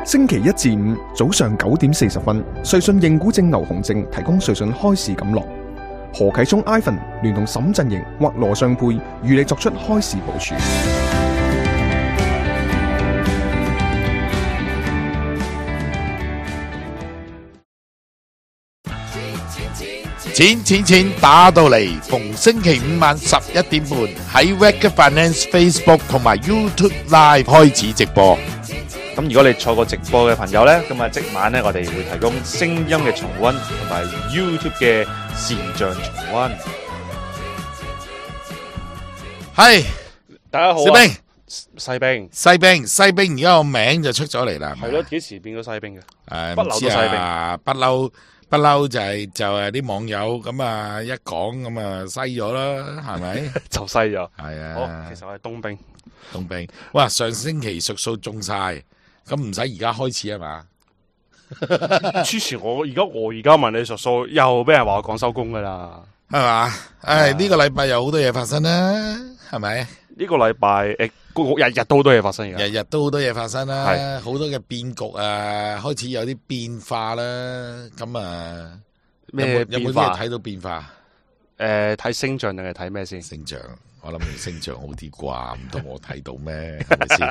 星期一至五早上9點40分，瑞信認股證牛熊證提供瑞信開市錦囊。何啟聰 Ivan 聯同沈振盈或羅尚佩與你作出開市部署。錢打到嚟，逢星期五晚11點半喺 Wake Finance Facebook 同埋 YouTube Live 開始直播。咁如果你錯過直播嘅朋友呢，咁啊即晚呢，我哋會提供聲音嘅重溫同埋 YouTube 嘅視像重溫。係，大家好小兵，西兵，而家個名就出咗嚟啦。係咯，幾時變咗西兵嘅？不嬲都西兵，不嬲就係啲網友咁啊一講咁啊西咗啦，係咪？就西咗。係啊。好，其實我係冬兵。哇！上星期屬數中晒。咁唔使而家開始啊嘛？之前我而家問你數數，又俾人話我講收工噶啦，係嘛？呢個禮拜有好多嘢發生啦，係咪？呢個禮拜日日都好多嘢發生嘅，日日都好多嘢發生啦，好多嘅變局啊，開始有啲變化啦。咁啊，咩變化？有冇睇到變化？睇星象定係睇咩先？星象。我諗星象好啲啩，唔通我睇到咩？係咪先？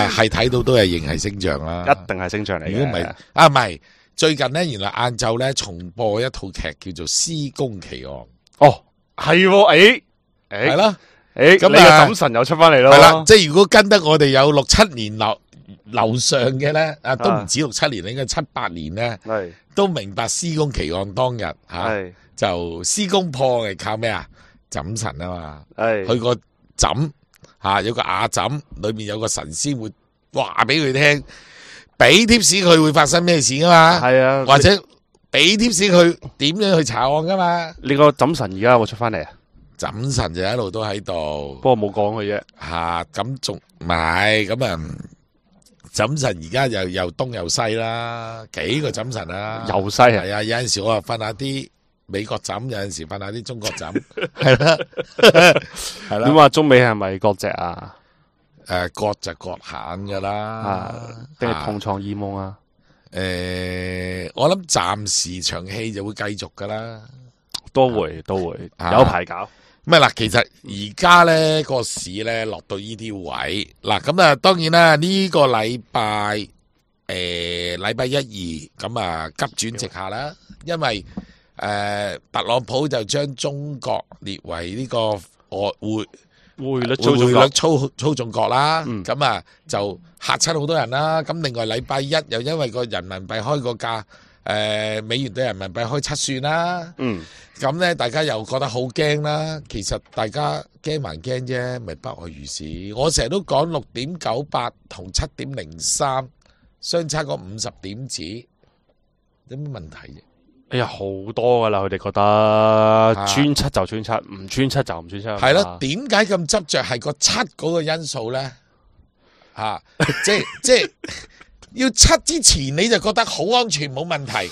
係睇到都係認係星象啦，一定係星象嚟嘅。如果唔係，唔係最近咧，原來晏晝咧重播一套劇叫做《施工奇案》。哦，係，係啦，咁你個審神又出翻嚟咯。係啦，即係如果跟得我哋有6-7年樓上嘅咧，都唔止6-7年，應該7-8年咧，都明白施工奇案當日就施工破係靠咩啊？枕神啊嘛，佢個枕有個瓦枕，裏面有個神仙會話俾佢聽，俾貼士佢會發生咩事噶嘛，係啊，或者俾貼士佢點樣去查案噶嘛。你個枕神而家有冇出翻嚟啊？枕神就一路都喺度，不過冇講佢啫。咁仲唔係咁啊？枕神而家又東又西啦，幾個枕神啦，又西係啊，有陣時我啊瞓下啲美國枕，有陣時瞓下啲中國枕，係啦，係啦。點話中美係咪割席啊？割就割閒噶啦，定係同床異夢啊？我諗暫時場戲就會繼續噶啦，都會有排搞。咁嗱，其實而家咧個市咧落到呢啲位，嗱咁啊，當然啦，呢個禮拜禮拜1、2咁啊急轉直下啦，因為特朗普就將中國列為呢個匯率操縱國啦，咁啊就嚇親好多人啦。咁另外禮拜1又因為個人民幣開個價，美元對人民幣開7算啦，咁咧大家又覺得好驚啦。其實大家驚還驚啫，咪不外如是。我成日都講6.98同7.03相差個50點子，有咩問題啫？哎呀，好多噶啦，佢哋覺得穿7就穿7，唔穿7就唔穿7。係咯，點解咁執着係個7嗰個因素咧？即係要7之前你就覺得好安全冇問題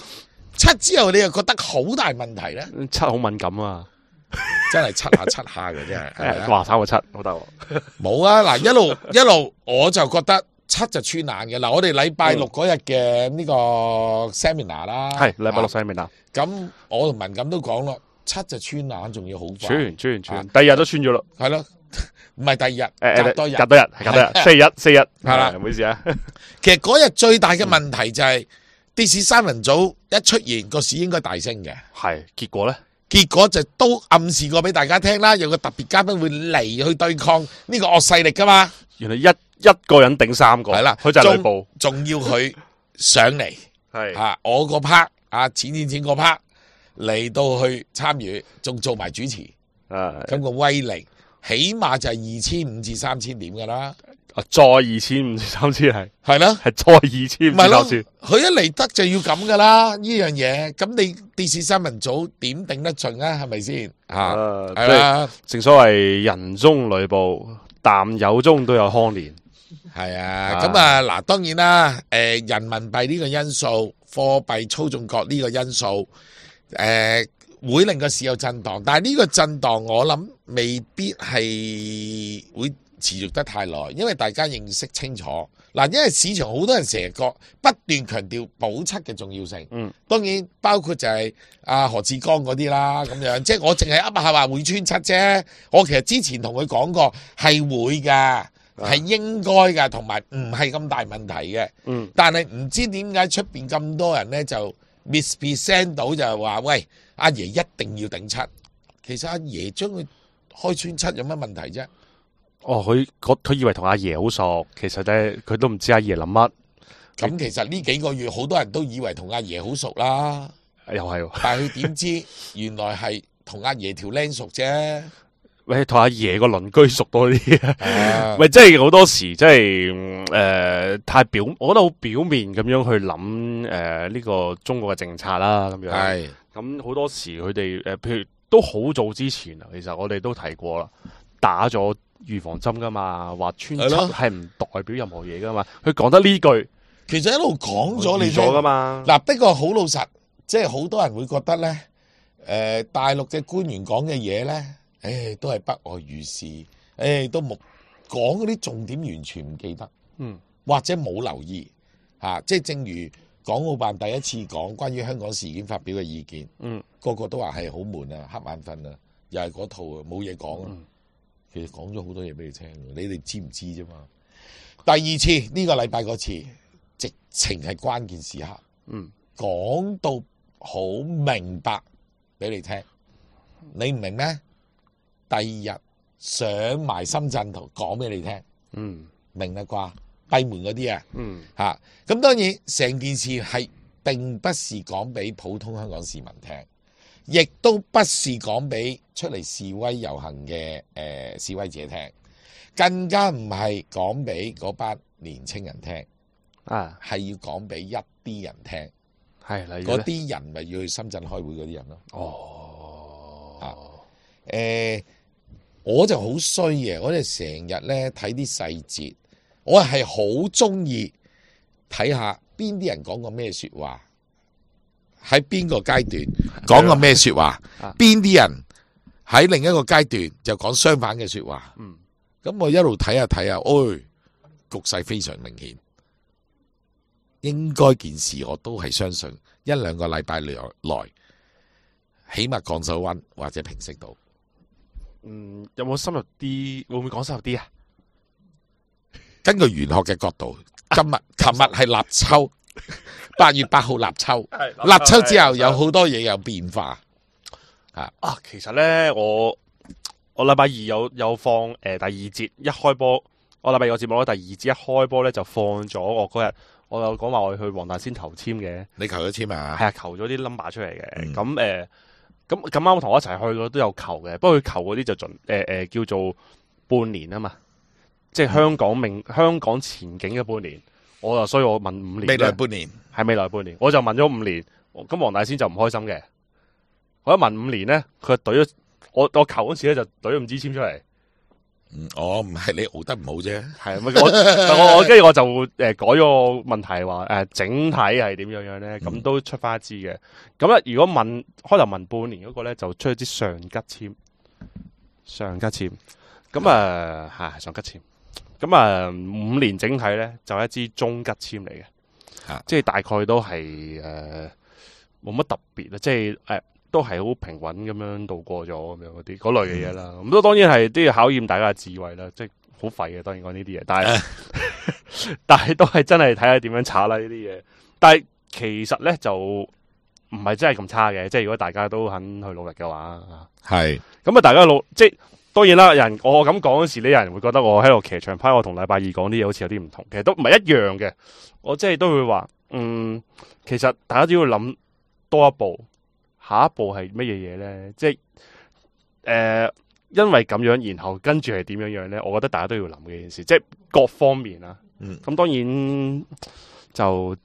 ，7之後你又覺得好大問題咧？7好敏感啊，真係7下嘅真係。話炒個7好得。冇啊，嗱一路我就覺得7就穿硬嘅。嗱，我哋禮拜6嗰日嘅呢個 seminar 啦，係禮拜6 seminar。咁我同文錦都講咯，7就穿硬，仲要好快。穿，第二日都穿咗咯。係咯，唔係第二日，隔多日，四日，係啦，唔好意思啊。其實嗰日最大嘅問題就係跌市三人組一出現，個市應該大升嘅。係，結果咧？結果就都暗示過俾大家聽啦，有個特別嘉賓會嚟去對抗呢個惡勢力噶嘛。原來一個人頂3個，係啦，佢就係呂布，仲要佢上嚟，係我個 part 錢個 part 嚟到去參與，仲做埋主持，咁個威力起碼就係2500至3000點噶啦。再2500至3000係咯，係再2500至3000。佢一嚟得就要咁噶啦，呢樣嘢。咁你電視新聞組點頂得盡啊？係咪先？係啦，正所謂人中呂布，但有中都有康年。係啊，咁啊嗱，當然啦，人民幣呢個因素，貨幣操縱國呢個因素，會令個市有震盪，但係呢個震盪我諗未必係會持續得太耐，因為大家認識清楚嗱，因為市場好多人成日不斷強調保七嘅重要性，當然包括就係何志剛嗰啲啦咁樣，即係我淨係噏下話會穿七啫，我其實之前同佢講過係會㗎。係應該㗎，同埋唔係咁大問題嘅。但係唔知點解出邊咁多人咧就 mispresent 到就係話，喂，阿爺一定要頂七。其實阿爺將佢開穿七有乜問題啫？哦，佢以為同阿爺好熟，其實咧佢都唔知阿爺諗乜。咁其實呢幾個月好多人都以為同阿爺好熟啦，又係喎，但係佢點知原來係同阿爺條僆熟啫。喂，同阿爺個鄰居熟多啲啊！喂，即係好多時，即係太我覺得好表面咁樣去諗呢個中國嘅政策啦，咁樣。係。咁好多時佢哋譬如都好早之前啊，其實我哋都提過啦，打咗預防針噶嘛，話穿七係唔代表任何嘢噶嘛。佢講得呢句，其實一路講咗你咗噶嘛。嗱，不過好老實，即係好多人會覺得咧，大陸嘅官員講嘅嘢咧。都係不外如是，都冇講嗰啲重點，完全唔記得，或者冇留意，即係正如港澳辦第一次講關於香港事件發表嘅意見，個個都話係好悶啊，瞌眼瞓啊，又係嗰套啊，冇嘢講啊。其實講咗好多嘢俾你聽，你哋知唔知啫嘛？第二次呢個禮拜嗰次，直情係關鍵時刻，講到好明白俾你聽，你唔明咩？第二日上埋深圳圖講俾你聽，明啦啩？閉門嗰啲啊，咁當然成件事係並不是講俾普通香港市民聽，亦都不是講俾出嚟示威遊行嘅示威者聽，更加唔係講俾嗰班年青人聽，係要講俾一啲人聽，嗰啲人咪要去深圳開會嗰啲人咯。我就好衰嘅，我哋成日咧睇啲細節，我係好中意睇下邊啲人講過咩說話，喺邊個階段講過咩說話，邊啲人喺另一個階段就講相反嘅說話。咁我一路睇下睇下，局勢非常明顯，應該件事我都係相信一兩個禮拜內起碼降手溫或者平息到。有冇深入啲？會唔會講深入啲啊？根據玄學嘅角度，琴日係立秋，8月8號立秋，立秋之後有好多嘢有變化。其實咧，我禮拜二有放第二節一開波，我禮拜二個節目咧第二節一開波咧就放咗我嗰日，我有講話我去黃大仙投籤嘅。你求咗籤啊？係啊，求咗啲 number 出嚟嘅。咁啱同我一齊去嘅都有求嘅，不過佢求嗰啲就叫做半年啊嘛，即係香港前景嘅半年。所以我問5年。未來半年係未來半年，我就問咗5年。咁黃大仙就唔開心嘅，我一問5年咧，佢就懟咗我求嗰時咧就懟咗5支籤出嚟。唔係你熬得唔好啫。係我跟住我就改咗個問題話整體係點樣咧？咁都出翻一支嘅。咁咧如果開頭問半年嗰個咧就出咗支上吉籤，上吉籤。咁係上吉籤。咁5年整體咧就一支中吉籤嚟嘅，即係大概都係冇乜特別啦，即係都係好平穩咁樣度過咗咁樣嗰類嘅嘢啦。咁都當然係都要考驗大家嘅智慧啦，即係好廢嘅。當然講呢啲嘢，但係都係真係睇下點樣炒啦呢啲嘢。但係其實咧就唔係真係咁差嘅，即係如果大家都肯去努力嘅話，係咁大家即係當然啦。我咁講嗰時咧，有人會覺得我喺度騎牆派，我同禮拜二講啲嘢好似有啲唔同，其實都唔係一樣嘅。我即係都會話，其實大家都要諗多一步。下一步係乜嘢嘢咧？即係因為咁樣，然後跟住係點樣樣咧？我覺得大家都要諗嘅件事，即係各方面啦。咁當然就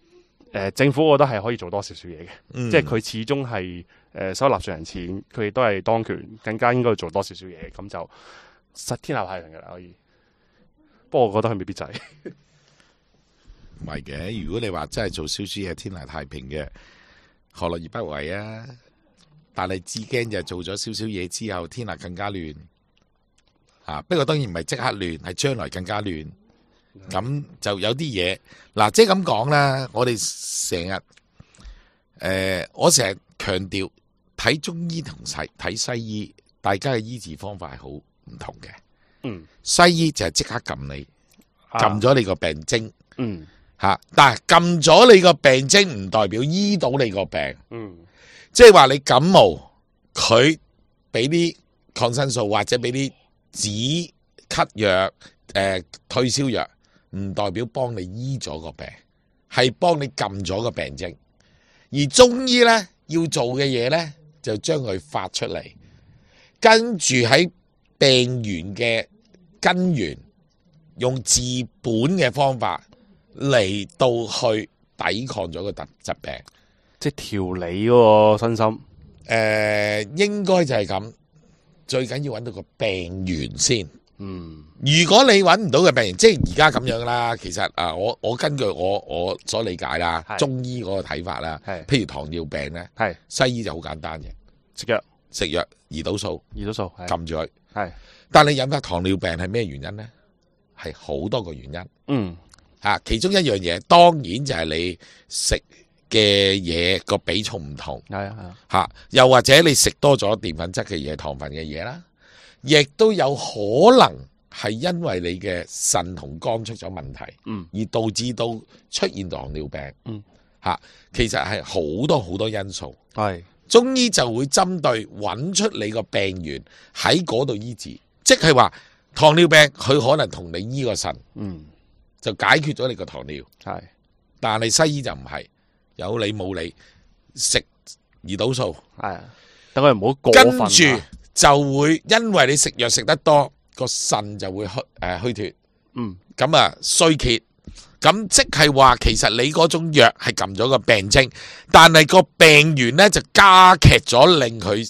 政府，我覺得係可以做多少少嘢嘅。即係佢始終係收納稅人錢，佢亦都係當權，更加應該做多少少嘢。咁就實天下太平嘅啦，可以。不過我覺得佢未必就係唔係嘅。如果你話真係做少少嘢天下太平嘅，何樂而不為啊？但係至驚就做咗少少嘢之後，天下更加亂。不過當然唔係即刻亂，係將來更加亂。咁就有啲嘢嗱，即係咁講啦。我哋成日我成日強調睇中醫同睇西醫，大家嘅醫治方法係好唔同嘅。西醫就係即刻撳你，撳咗你個病徵。但係撳咗你個病徵唔代表醫到你個病。即係話你感冒，佢俾啲抗生素或者俾啲止咳藥、退燒藥，唔代表幫你醫咗個病，係幫你撳咗個病徵。而中醫呢，要做嘅嘢呢，就將佢發出嚟，跟住喺病源嘅根源，用治本嘅方法嚟到去抵抗咗個疾病。即係調理嗰個身心。應該就係咁，最緊要揾到個病源先。如果你揾唔到嘅病源，即係而家咁樣啦。其實我根據我所理解啦，中醫嗰個睇法啦，譬如糖尿病咧，西醫就好簡單嘅，食藥胰島素撳住佢。但你引發糖尿病係咩原因咧？係好多個原因。其中一樣嘢當然就係你食嘅嘢個比重唔同，又或者你食多咗澱粉質嘅嘢、糖分嘅嘢啦，亦都有可能係因為你嘅腎同肝出咗問題，而導致到出現糖尿病。其實係好多好多因素。中醫就會針對揾出你個病源喺嗰度醫治，即係話糖尿病佢可能同你醫個腎，就解決咗你個糖尿。但係西醫就唔係。有理冇理，食胰島素，等佢唔好過分。跟住就會因為你食藥食得多，個腎就會虛脱，咁衰竭。咁即係話，其實你嗰種藥係撳咗個病徵，但係個病源呢就加劇咗，令佢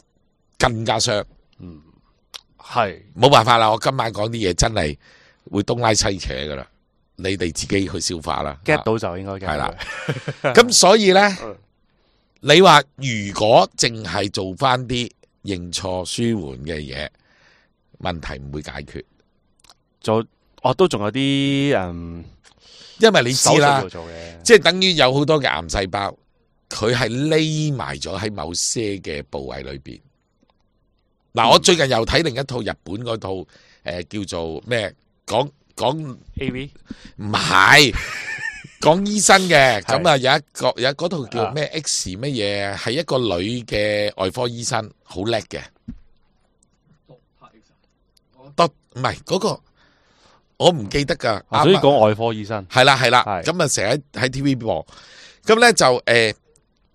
更加傷。冇辦法啦，我今晚講啲嘢真係會東拉西扯噶啦。你哋自己去消化啦 ，get 到就應該 get 係啦。咁所以呢，你話如果淨係做翻啲認錯舒緩嘅嘢，問題唔會解決。都仲有啲因為你知啦，即係等於有好多嘅癌細胞，佢係匿埋咗喺某些嘅部位裏邊。我最近又睇另一套日本嗰套叫做咩講 AV 唔係講醫生嘅，咁有一嗰套叫咩 X 乜嘢，係一個女嘅外科醫生，好叻嘅。唔係嗰個，我唔記得噶。所以講外科醫生係啦，咁成日喺 TV 播，咁咧就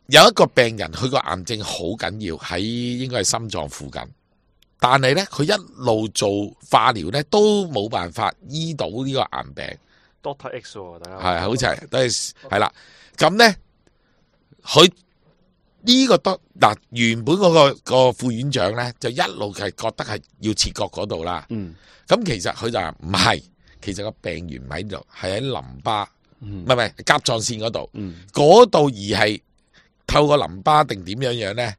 有一個病人，佢個癌症好緊要，喺應該係心臟附近。但係咧，佢一路做化療咧，都冇辦法醫到呢個癌病。Doctor X 大家好似係啦。咁咧，佢呢個原本嗰個副院長咧，就一路係覺得係要切割嗰度啦。咁其實佢就話唔係，其實個病源唔喺度，係喺淋巴，唔係甲狀腺嗰度。嗰度而係透過淋巴定點樣咧？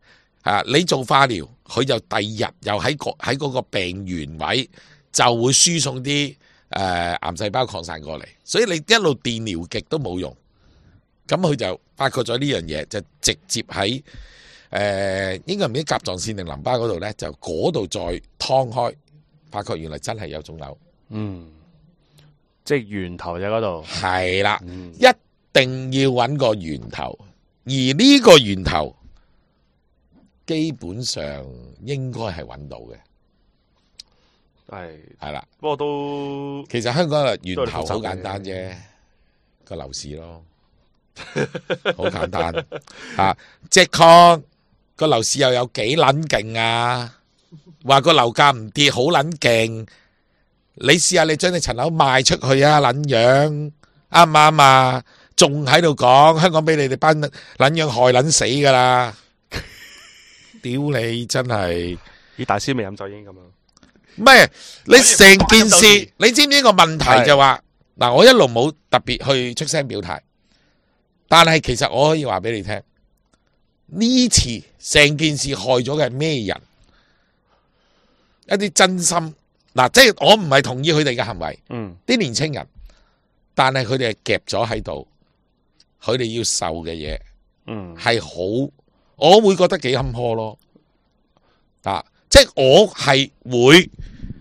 你做化療，佢就第二日又喺嗰個病原位就會輸送啲癌細胞擴散過嚟，所以你一路電療極都冇用。咁佢就發覺咗呢樣嘢，就直接喺應該唔知甲狀腺定淋巴嗰度咧，就嗰度再劏開，發覺原來真係有腫瘤。即係源頭就喺嗰度。係啦，一定要揾個源頭，而呢個源頭基本上應該係揾到嘅。係啦，不過都其實香港嘅源頭好簡單啫，個樓市咯，好簡單即係個樓市又有幾撚勁啊？話個樓價唔跌好撚勁，你試下你將你層樓賣出去啊，撚樣啱唔啱啊？仲喺度講香港俾你哋班撚樣害撚死噶啦！屌你真係！咦，大師未飲酒已經咁樣？唔係，你成件事，你知唔知個問題就話嗱？我一路冇特別去出聲表態，但係其實我可以話俾你聽，呢次成件事害咗嘅係咩人？一啲真心嗱，即係我唔係同意佢哋嘅行為，啲年青人，但係佢哋係夾咗喺度，佢哋要受嘅嘢，係好，我會覺得幾坎坷咯。即係我係會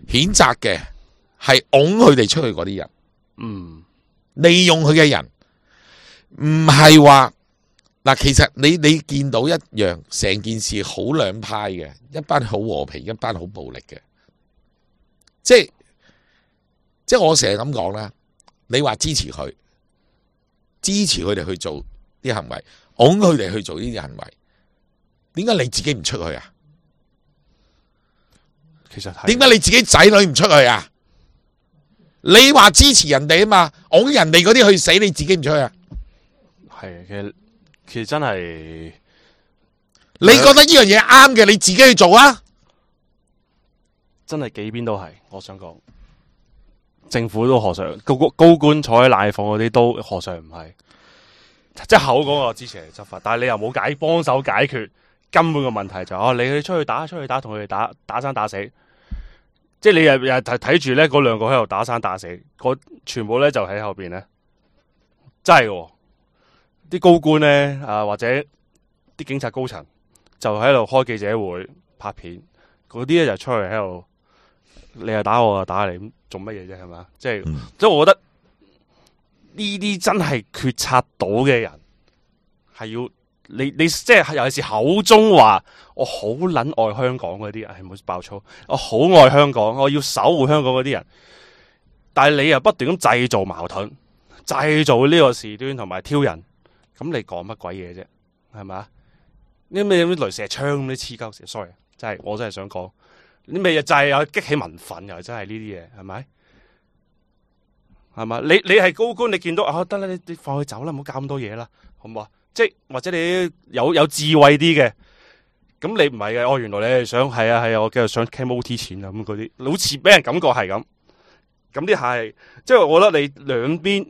譴責嘅，係拱佢哋出去嗰啲人，利用佢嘅人，唔係話嗱，其實你見到一樣，成件事好兩派嘅，一班好和平，一班好暴力嘅，即係我成日咁講啦。你話支持佢哋去做啲行為，拱佢哋去做呢啲行為，點解你自己唔出去啊？其實點解你自己仔女唔出去啊？你話支持人哋啊嘛，拱人哋嗰啲去死，你自己唔出去啊？係其實真係，你覺得呢樣嘢啱嘅，你自己去做啊？真係幾邊都係，我想講，政府都何嘗高官坐喺奶房嗰啲都何嘗唔係，即係口講我支持嚟執法，但係你又冇幫手解決根本嘅問題，你出去打，同佢哋打生打死，即係你又睇住咧嗰兩個喺度打生打死，全部咧就喺後邊咧，真係嘅。啲高官咧或者啲警察高層就喺度開記者會拍片，嗰啲咧就出去喺度，你又打我，又打你，咁做乜嘢啫？係嘛？即係我覺得呢啲真係決策到嘅人係要你即係尤其是口中話我好撚愛香港嗰啲人，係冇爆粗，我好愛香港，我要守護香港嗰啲人，但係你又不斷咁製造矛盾，製造呢個事端同埋挑釁。咁你講乜鬼嘢啫？係咪？呢咩雷射槍咁啲黐鳩線 ，sorry， 我真係想講，呢咩嘢就係有激起民憤，又真係呢啲嘢，係咪？係嘛？你係高官，你見到得啦，你放佢走啦，唔好搞咁多嘢啦，好唔好啊？即係或者你有智慧啲嘅，咁你唔係嘅，原來你係想係啊，我繼續想 claim OT 錢啊咁嗰啲，好似俾人感覺係咁。咁啲係，即係我覺得你兩邊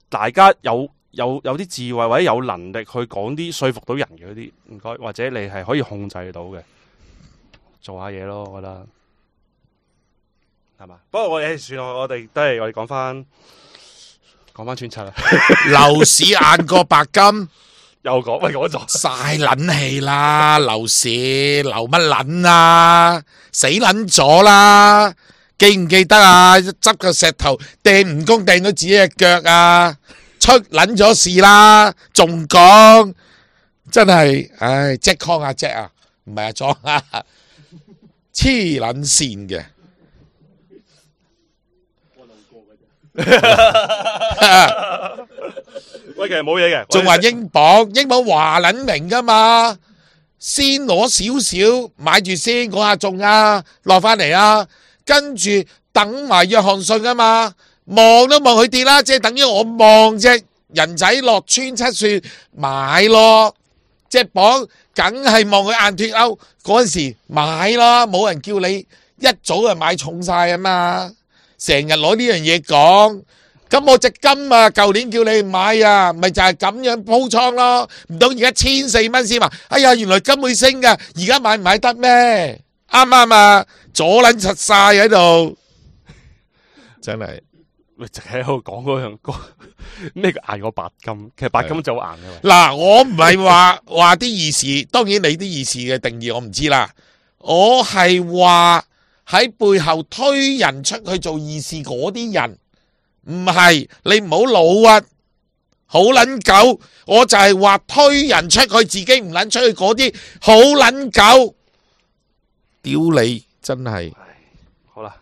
大家有啲智慧或者有能力去講啲說服到人嘅嗰啲，唔該，或者你係可以控制到嘅，做下嘢咯，我覺得係嘛。不過算啦，我哋講翻穿七啦。樓市硬過白金，又講咗晒撚氣啦！樓市流乜撚啊？死撚咗啦！記唔記得啊？執個石頭掟蜈蚣掟到自己隻腳啊！出撚咗事啦，仲講真係，唉，Jack Kong 啊 Jack 啊，唔係阿莊啊，黐撚線嘅。喂，其實冇嘢嘅，仲話英鎊話撚明噶嘛，先攞少少買住先，嗰下中啊，落翻嚟啊，跟住等埋約翰遜啊嘛。望都望佢跌啦，即係等於我望隻人仔落穿七算買咯，隻鎊梗係望佢硬脫歐嗰陣時買咯，冇人叫你一早就買重晒啊嘛，成日攞呢樣嘢講，咁我隻金啊，舊年叫你買啊，咪就係咁樣鋪倉咯，唔通而家1400蚊先話，哎呀原來金會升噶，而家買唔買得咩？啱唔啱啊？阻撚實晒喺度，真係。淨係喺度講嗰樣咩叫硬過白金，其實白金就好硬嘅。嗱，我唔係話啲義士，當然你啲義士嘅定義我唔知啦。我係話喺背後推人出去做義士嗰啲人，唔係你唔好老屈，好撚狗。我就係話推人出去，自己唔撚出去嗰啲好撚狗，屌你真係。好啦，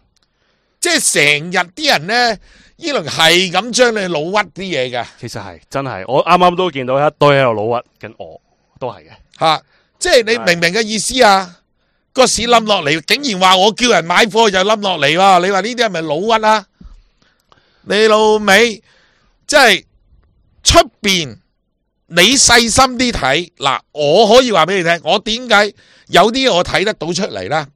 即係成日啲人呢。呢輪係咁將你老屈啲嘢嘅，其實係真係，我啱啱都見到一堆喺度老屈，跟我都係嘅吓，即係你明唔明嘅意思啊？個市冧落嚟，竟然話我叫人買貨就冧落嚟喎！你話呢啲係咪老屈啊？你老味，即係出邊你細心啲睇嗱，我可以話俾你聽，我點解有啲我睇得到出嚟啦？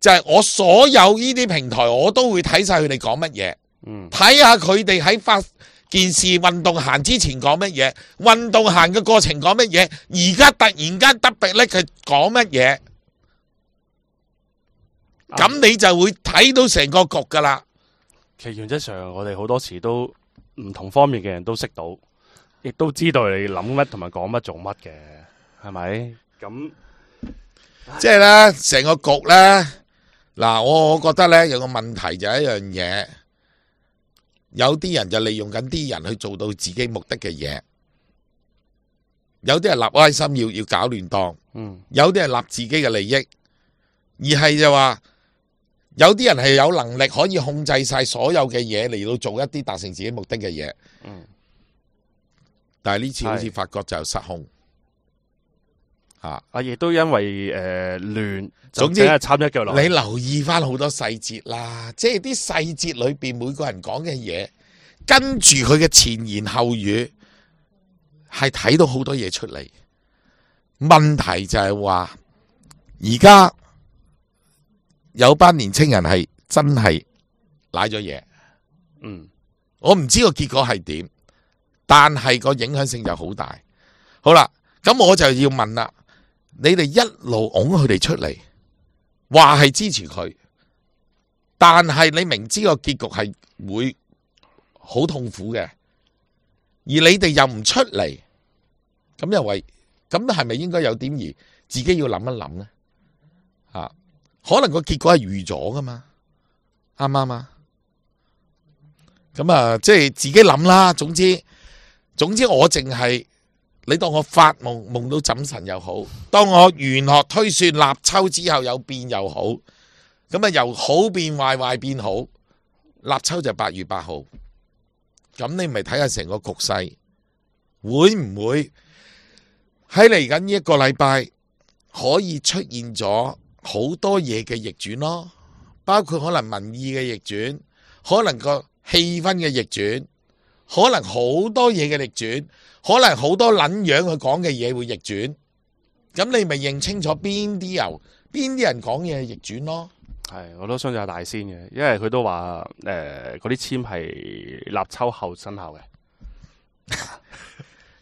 就係我所有呢啲平台，我都會睇晒佢哋講乜嘢。睇下佢哋喺發件事運動行之前講乜嘢，運動行嘅過程講乜嘢，而家突然間特別咧佢講乜嘢，咁你就會睇到成個局噶啦。其實原則上，我哋好多時都唔同方面嘅人都識到，亦都知道你諗乜同埋講乜做乜嘅，係咪？咁即係咧，成個局咧，嗱，我覺得咧有個問題就係一樣嘢，有啲人就利用緊啲人去做到自己目的嘅嘢，有啲係立歪心要搞亂檔，有啲係立自己嘅利益，而係就話有啲人係有能力可以控制晒所有嘅嘢嚟到做一啲達成自己目的嘅嘢，但係呢次好似發覺就失控。亦都因為亂，總之係插一腳落。你留意翻好多細節啦，即係啲細節裏邊每個人講嘅嘢，跟住佢嘅前言後語，係睇到好多嘢出嚟。問題就係話，而家有班年青人係真係瀨咗嘢。我唔知個結果係點，但係個影響性就好大。好啦，咁我就要問啦。你哋一路拱佢哋出嚟，話係支持佢，但係你明知個結局係會好痛苦嘅，而你哋又唔出嚟，咁又為咁係咪應該有點而自己要諗一諗呢？可能個結果係預咗噶嘛，啱唔啱啊？咁啊，即係自己諗啦。總之我淨係。你當我發夢夢到枕神又好，當我玄學推算立秋之後有變又好，咁啊由好變壞，壞變好，立秋就8月8號，咁你咪睇下成個局勢會唔會喺嚟緊呢一個禮拜可以出現咗好多嘢嘅逆轉咯，包括可能民意嘅逆轉，可能個氣氛嘅逆轉，可能好多嘢嘅逆轉。可能好多撚樣佢講嘅嘢會逆轉，咁你咪認清楚邊啲人講嘢逆轉咯。係，我都相信係大仙嘅，因為佢都話嗰啲簽係立秋後生效嘅，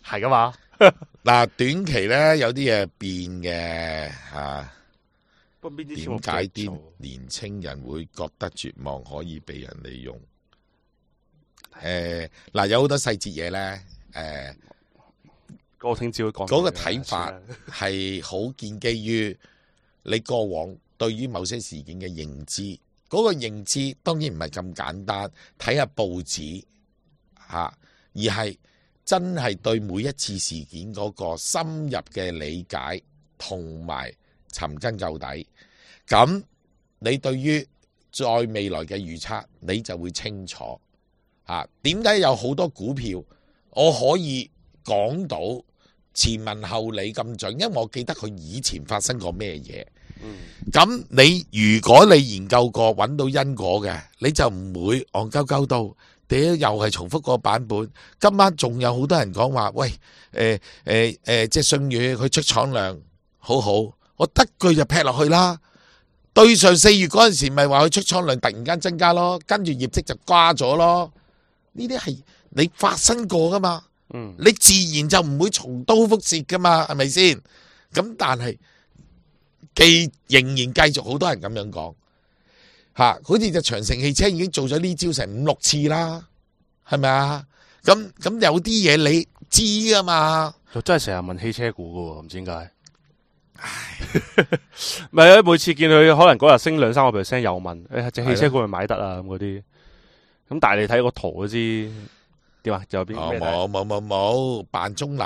係噶嘛。嗱，短期咧有啲嘢變嘅嚇，不過邊啲點解啲年青人會覺得絕望可以被人利用？嗱，有好多細節嘢咧。我聽朝講嗰個睇法係好建基於你過往對於某些事件嘅認知，嗰個認知當然唔係咁簡單，睇下報紙而係真係對每一次事件嗰個深入嘅理解同埋尋根究底。咁你對於在未來嘅預測，你就會清楚點解有好多股票我可以講到前文後理咁準，因為我記得佢以前發生過咩嘢。咁你如果你研究過揾到因果嘅，你就唔會戇鳩鳩到屌又係重複個版本。今晚仲有好多人講話，喂即係信譽佢出廠量好好，我得句就劈落去啦。對上4月嗰陣時咪話佢出廠量突然間增加咯，跟住業績就瓜咗咯。呢啲係你發生過噶嘛？你自然就唔會重蹈覆轍噶嘛，係咪先？咁但係仍然繼續好多人咁樣講好似隻長城汽車已經做咗呢招成5-6次啦，係咪啊？咁有啲嘢你知噶嘛？就真係成日問汽車股噶喎，唔知點解。唔係啊，每次見佢可能嗰日升2-3%，又問隻汽車股咪買得啊咁嗰啲。咁但係你睇個圖都知點啊？仲有邊冇扮中立。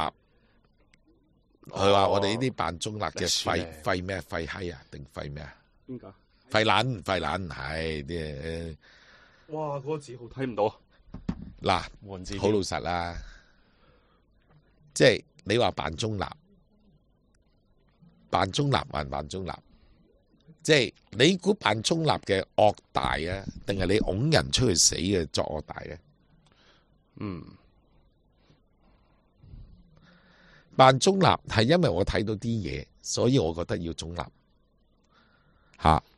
佢話我哋呢啲扮中立嘅廢咩廢閪啊，定廢咩啊？邊個？廢撚係啲。哇！嗰個字好睇唔到。嗱，好老實啦，即係你話扮中立，扮中立還扮中立，即係你估扮中立嘅惡大啊，定係你拱人出去死嘅作惡大嘅？扮中立係因為我睇到啲嘢，所以我覺得要中立。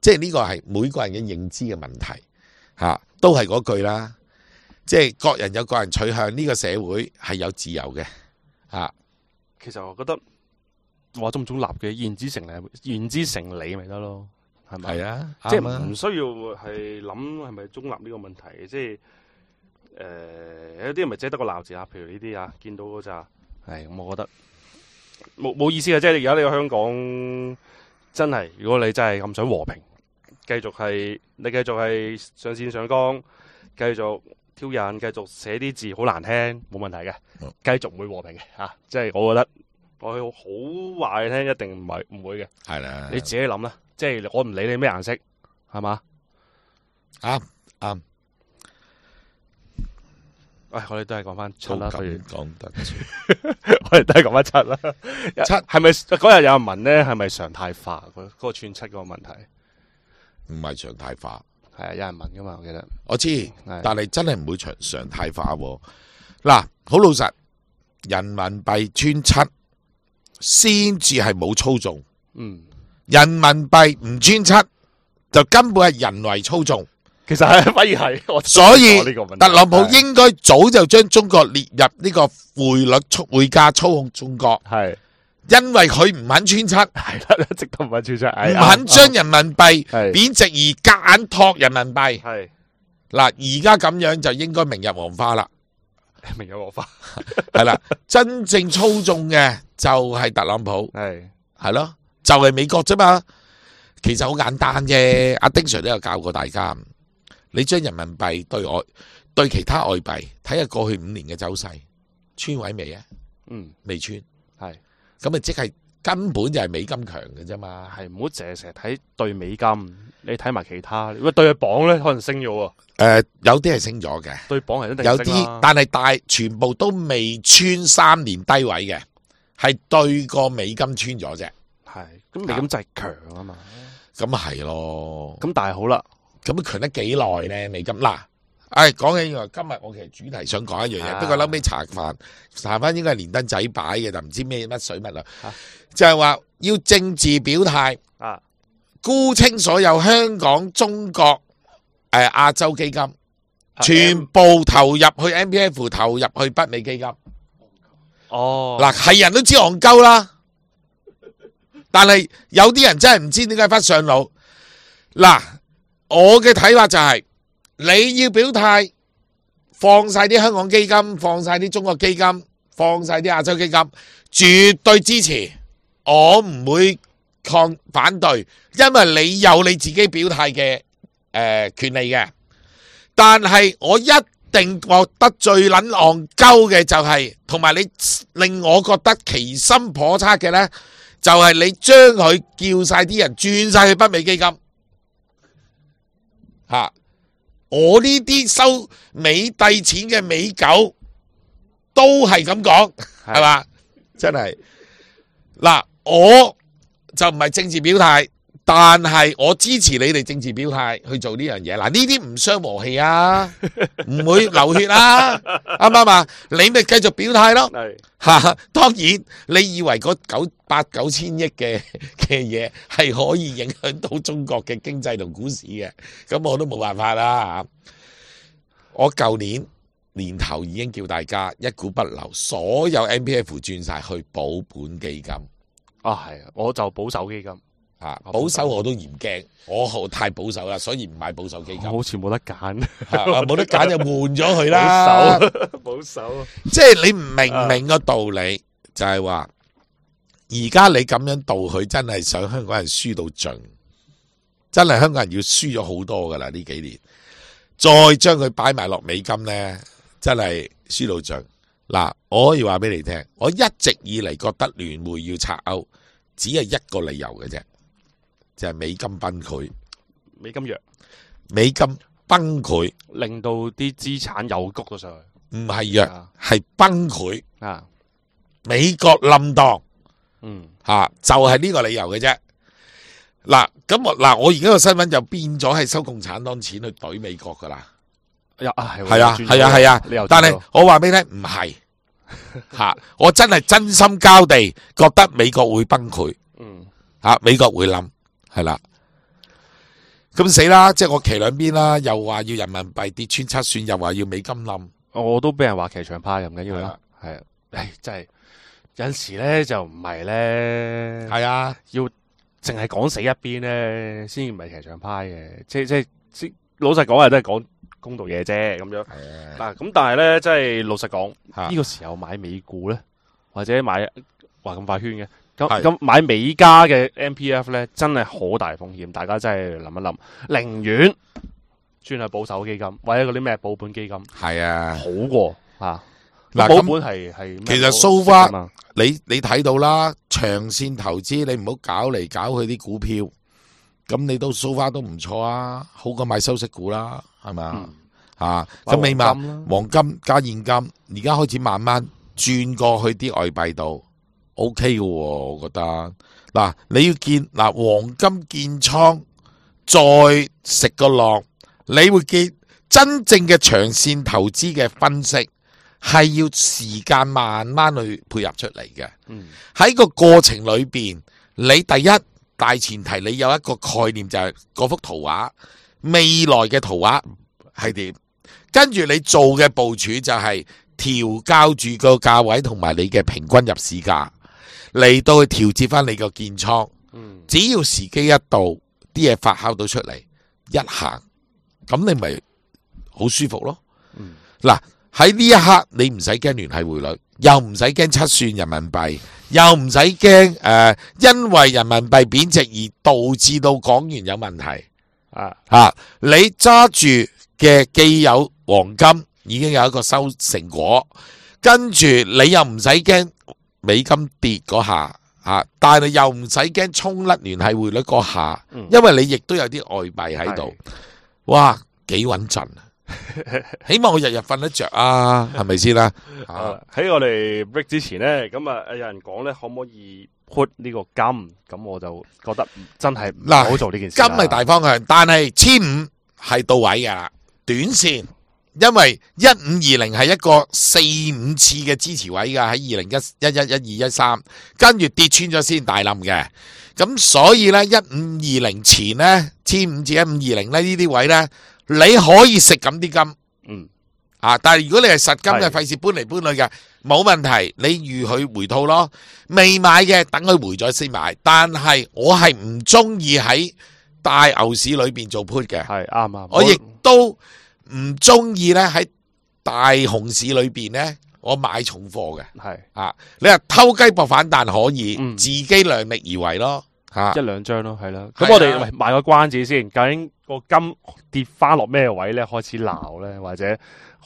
即係呢個係每個人嘅認知嘅問題。都係嗰句啦。即係各人有各人取向，呢個社會係有自由嘅啊。其實我覺得話中唔中立嘅言之成理咪得咯，係咪？係啊，即啱啊係唔需要係諗係咪中立呢個問題，即係有啲人咪只係得個鬧字啊，譬如呢啲啊，見到嗰扎係咁，我覺得冇意思嘅。即係而家呢個香港真係，如果你真係咁想和平，繼續係上線上綱，繼續挑釁，繼續寫啲字好難聽，冇問題嘅，繼續唔會和平嘅嚇。即係我覺得我好話你聽，一定唔會嘅。係啦，你自己諗啦，即係我唔理你咩顏色，係嘛？啱。喂，我哋都係講翻七啦，咁不如講得我哋都係講翻七啦。七係咪嗰日有人問咧？係咪常態化嗰個串七嗰個問題？唔係常態化。係啊，有人問噶嘛？我記得我知，但係真係唔會常態化喎。嗱，好老實，人民幣穿七先至係冇操縱。人民幣唔穿七就根本係人為操縱。其實係反而係我，所以呢個問題特朗普應該早就將中國列入呢個匯價操控中國，係因為佢唔肯穿七，係啦，一直都唔肯穿七，唔肯將人民幣係貶值而夾硬托人民幣。係嗱，而家咁樣就應該明日黃花啦。明有我花係啦，真正操縱嘅就係特朗普，係咯，就係美國啫嘛。其實好簡單啫，阿丁 Sir 都有教過大家，你將人民幣對其他外幣睇下過去5年嘅走勢，穿位未啊？未穿，係咁啊，即係根本就係美金強嘅啫嘛。係唔好成日睇對美金，你睇埋其他。如果對佢磅咧，可能升咗喎。有啲係升咗嘅，對磅係一定有升啦啲，但係全部都未穿3年低位嘅，係對個美金穿咗啫。係咁美金真係強啊嘛。咁係咯。咁但係好啦，咁強得幾耐咧？美金嗱，講起今日我其實主題想講一樣嘢，不過後尾查翻應該係連登仔擺嘅，就唔知咩乜水乜啦，就係話要政治表態啊，沽清所有香港、中國、亞洲基金，全部投入去 MPF， 投入去北美基金。哦，嗱，係人都知戇鳩啦，但係有啲人真係唔知點解忽上腦。嗱，我嘅睇法就係你要表態，放晒啲香港基金，放晒啲中國基金，放晒啲亞洲基金，絕對支持，我唔會反對，因為你有你自己表態嘅權利嘅。但係我一定覺得最撚戇鳩嘅就係，同埋你令我覺得其心叵測嘅呢，就係你將佢叫晒啲人轉晒去北美基金。我呢啲收美帝錢嘅美狗都係咁講，係嘛？真係嗱，我就唔係政治表態，但係我支持你哋政治表態去做呢樣嘢。嗱，呢啲唔傷和氣啊，唔會流血啊，啱唔啱啊？你咪繼續表態咯。當然你以為嗰8-9千億嘅嘢係可以影響到中國嘅經濟同股市嘅，咁我都冇辦法啦。我舊年年頭已經叫大家一股不留，所有 MPF 轉晒去保本基金。係啊，我就保守基金。保守我都嫌驚，我太保守啦，所以唔買保守基金。好似冇得揀，冇得揀就換咗佢啦。保守，即係你唔明個道理，就係話而家你咁樣導佢，真係想香港人輸到盡，真係香港人要輸咗好多噶啦呢幾年，再將佢擺埋落美金呢，真係輸到盡。嗱，我可以話俾你聽，我一直以嚟覺得聯匯要拆歐，只係一個理由嘅啫。就係美金崩潰，美金弱，美金崩潰，令到啲資產又谷咗上去。唔係弱，係崩潰。美國冧檔，就係呢個理由嘅啫。嗱，我而家個新聞就變咗係收共產黨錢去懟美國噶啦。係啊，但係我話俾你聽，唔係我真係真心交地覺得美國會崩潰，美國會冧。係啦，咁死啦！即係我騎兩邊啦，又話要人民幣跌穿7算，又話要美金冧。我都俾人話騎牆派又唔緊要啦係啊，係啊，唉，真係有陣時咧就唔係咧，係啊，要淨係講死一邊咧，先唔係騎牆派嘅，即老實講係都係講公道嘢啫咁樣。嗱咁但係咧，即係老實講，嚇呢個時候買美股咧，或者買話咁快圈嘅，係咁買美加嘅 MPF 咧，真係好大風險，大家真係諗一諗，寧願轉去保守基金或者嗰啲咩保本基金，係啊。好過啊。嗱咁保本係咩其實 so far 你睇到啦，長線投資你唔好搞嚟搞去啲股票，咁你都 so far 都唔錯啊，好過買收息股啦，係咪啊？啊，咁起碼黃金加現金，而家開始慢慢轉過去啲外幣度 ，OK 嘅喎，我覺得。嗱，你要見嗱黃金建倉，再食個浪，你會見真正嘅長線投資嘅分析。係要時間慢慢去配合出嚟嘅。喺個過程裏邊，你第一大前提你有一個概念就係嗰幅圖畫，未來嘅圖畫係點，跟住你做嘅部署就係調校住個價位同埋你嘅平均入市價嚟到去調節翻你個建倉。只要時機一到，啲嘢發酵到出嚟，一行咁你咪好舒服咯。嗱。喺呢一刻，你唔使驚聯繫匯率，又唔使驚7算人民幣，又唔使驚因為人民幣貶值而導致到港元有問題。你揸住嘅既有黃金已經有一個收成果，跟住你又唔使驚美金跌嗰下，但係又唔使驚衝甩聯繫匯率嗰下，因為你亦都有啲外幣喺度，哇，幾穩陣啊！起碼我日日瞓得着啊，係咪先啦？喺我哋 break 之前咧，咁啊有人講咧，可唔可以 put 呢個金？咁我就覺得真係唔好做呢件事。金係大方向，但係1500係到位噶啦，短線，因為1520係一個4-5次嘅支持位噶，喺2011、12、13，跟住跌穿咗先大冧嘅。咁所以咧，1520前咧，1500至1520咧呢啲位咧。你可以食咁啲金，但係如果你係實金嘅，費事搬嚟搬去嘅，冇問題，你預佢回吐咯。未買嘅，等佢回咗先買。但係我係唔中意喺大牛市裏邊做 put 嘅，係啱。我亦都唔中意咧喺大熊市裏邊咧，我買重貨嘅。係你話偷雞搏反彈可以，自己量力而為咯。一兩張咯，係啦。咁我哋賣個關子先，究竟個金跌翻落咩位咧？開始鬧咧，或者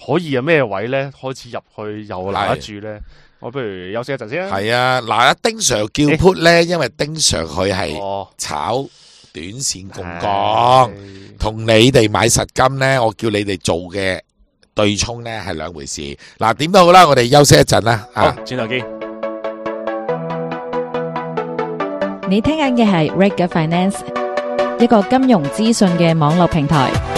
可以有咩位咧？開始入去又鬧得住咧？我不如休息一陣先啦。係啊，嗱，阿丁 Sir 叫 put 咧，因為丁 Sir 佢係炒短線槓桿，同你哋買實金咧，我叫你哋做嘅對沖咧係兩回事。嗱，點都好啦，我哋休息一陣啦。好，轉頭見。你聽緊嘅係 Reg Finance，一個金融資訊嘅網絡平台。